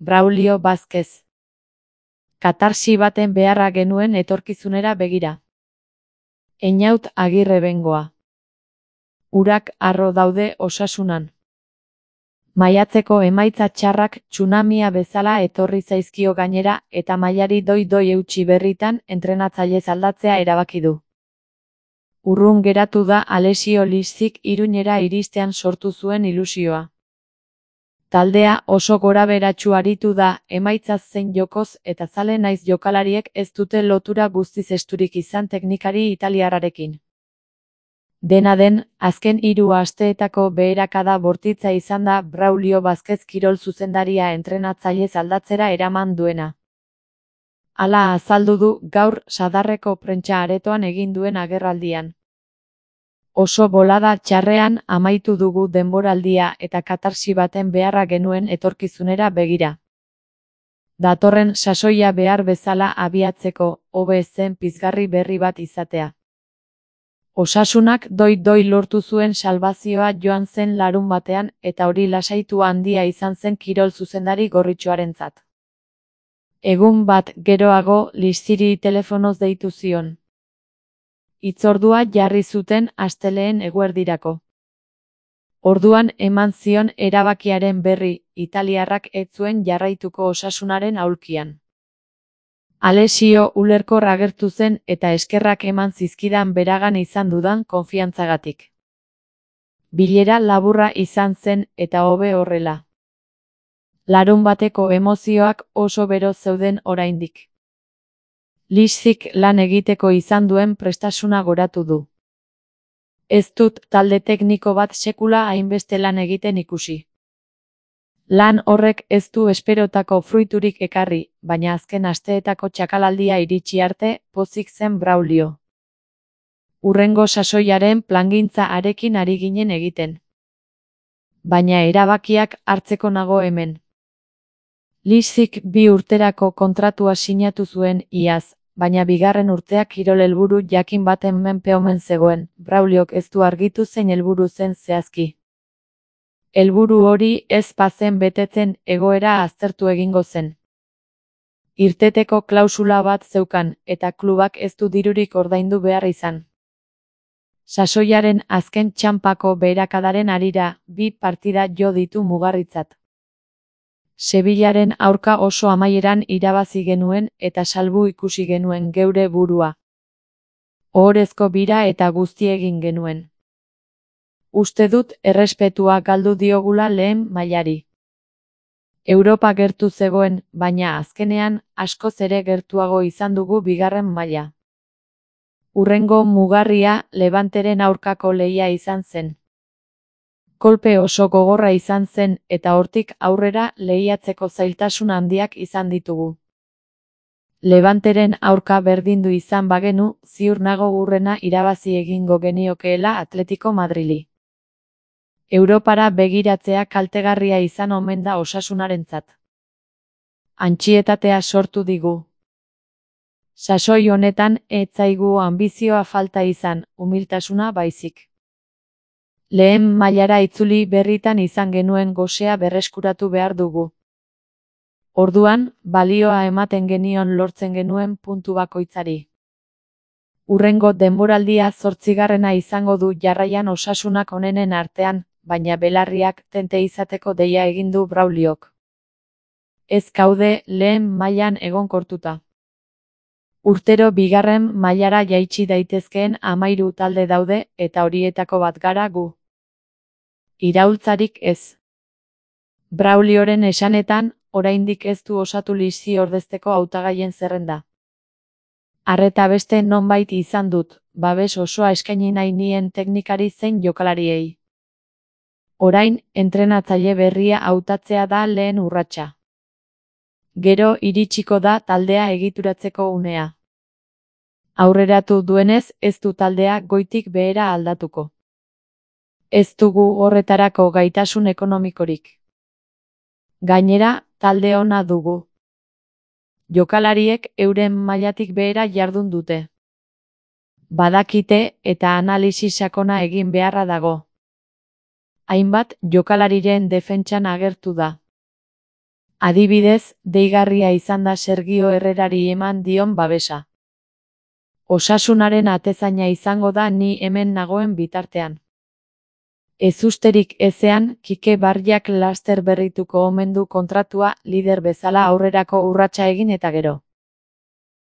Braulio Vázquez. Katarsi baten beharra genuen etorkizunera begira. Einaut Agirre Bengoa. Urak harro daude osasunan. Maiatzeko emaitza txarrak tsunamia bezala etorri zaizkio gainera eta mailari doi eutsi berritan entrenatzailez aldatzea erabaki du. Urrun geratu da Alessio Lizzik Iruñera iristean sortu zuen ilusioa. Taldea oso goraberatsu aritu da, emaitzaz zein jokoz eta zale naiz jokalariek ez dute lotura guztiz esturik izan teknikari italiarrarekin. Dena den, azken 3 asteetako beherakada bortitza izan da Braulio Vázquez kirol zuzendaria entrenatzailez aldatzera eraman duena. Hala azaldu du gaur Sadarreko prentsa aretoan egin duen agerraldian. Oso bolada txarrean amaitu dugu denboraldia eta katarsi baten beharra genuen etorkizunera begira. Datorren sasoia behar bezala abiatzeko, hobe zen pizgarri berri bat izatea. Osasunak doi lortu zuen salbazioa joan zen larunbatean eta hori lasaitu handia izan zen kirol zuzendari gorritxoarentzat. Egun bat geroago Lizziri telefonoz deitu zion. Hitzordua jarri zuten astelehen eguerdirako. Orduan eman zion erabakiaren berri, italiarrak ez zuen jarraituko osasunaren aulkian. Alessio ulerkor agertu zen eta eskerrak eman zizkidan beragan izan dudan konfiantzagatik. Bilera laburra izan zen eta hobe horrela. Larunbateko emozioak oso bero zeuden oraindik. Lizzik lan egiteko izan duen prestasuna goratu du. Ez dut talde tekniko bat sekula hainbeste lan egiten ikusi. Lan horrek ez du esperotako fruiturik ekarri, baina azken asteetako txakalaldia iritsi arte pozik zen Braulio. Hurrengo sasoiaren plangintza arekin ari ginen egiten. Baina erabakiak hartzeko nago hemen. Lizzik 2 urterako kontratua sinatu zuen iaz, baina bigarren urteak kirol helburu jakin baten menpe omen zegoen, Brauliok ez du argitu zein helburu zen zehazki. Helburu hori ez bazen betetzen egoera aztertu egingo zen. Irteteko klausula bat zeukan eta klubak ez du dirurik ordaindu behar izan. Sasoiaren azken txanpako beherakadaren harira 2 partida jo ditu mugarritzat. Sevillaren aurka oso amaieran irabazi genuen eta salbu ikusi genuen geure burua. Ohorezko bira eta guzti egin genuen. Uste dut errespetua galdu diogula lehen mailari. Europa gertu zegoen, baina azkenean askoz ere gertuago izan dugu bigarren maila. Hurrengo mugarria Levanteren aurkako lehia izan zen. Kolpe oso gogorra izan zen eta hortik aurrera lehiatzeko zailtasun handiak izan ditugu. Levanteren aurka berdindu izan bagenu, ziur nago hurrena irabazi egingo geniokeela Atletico Madrili. Europara begiratzea kaltegarria izan omen da osasunarentzat. Antsietatea sortu digu. Sasoi honetan ez zaigu anbizioa falta izan, umiltasuna baizik. Lehen mailara itzuli berritan izan genuen gosea berreskuratu behar dugu. Orduan, balioa ematen genion lortzen genuen puntu bakoitzari. Hurrengo denboraldia 8. izango du jarraian osasunak onenen artean, baina belarriak tente izateko deia egin du Brauliok. Ez gaude lehen mailan egonkortuta. Urtero bigarren mailara jaitsi daitezkeen 13 talde daude eta horietako bat gara gu. Iraultzarik ez. Braulioren esanetan, oraindik ez du osatu Lizzi ordezteko hautagaien zerrenda. Arreta beste nonbait izan dut, babes osoa eskaini nahi nien teknikari zein jokalariei. Orain, entrenatzaile berria hautatzea da lehen urratsa. Gero iritsiko da taldea egituratzeko unea. Aurreratu duenez ez du taldea goitik behera aldatuko. Ez dugu horretarako gaitasun ekonomikorik. Gainera, talde ona dugu. Jokalariek euren mailatik behera jardun dute. Badakite eta analisi sakona egin beharra dago. Hainbat jokalariren defentsan agertu da. Adibidez, deigarria izan da Sergio Herrerari eman dion babesa. Osasunaren atezaina izango da ni hemen nagoen bitartean. Ezusterik ezean, Kike Barriak laster berrituko omen du kontratua lider bezala aurrerako urratsa egin eta gero.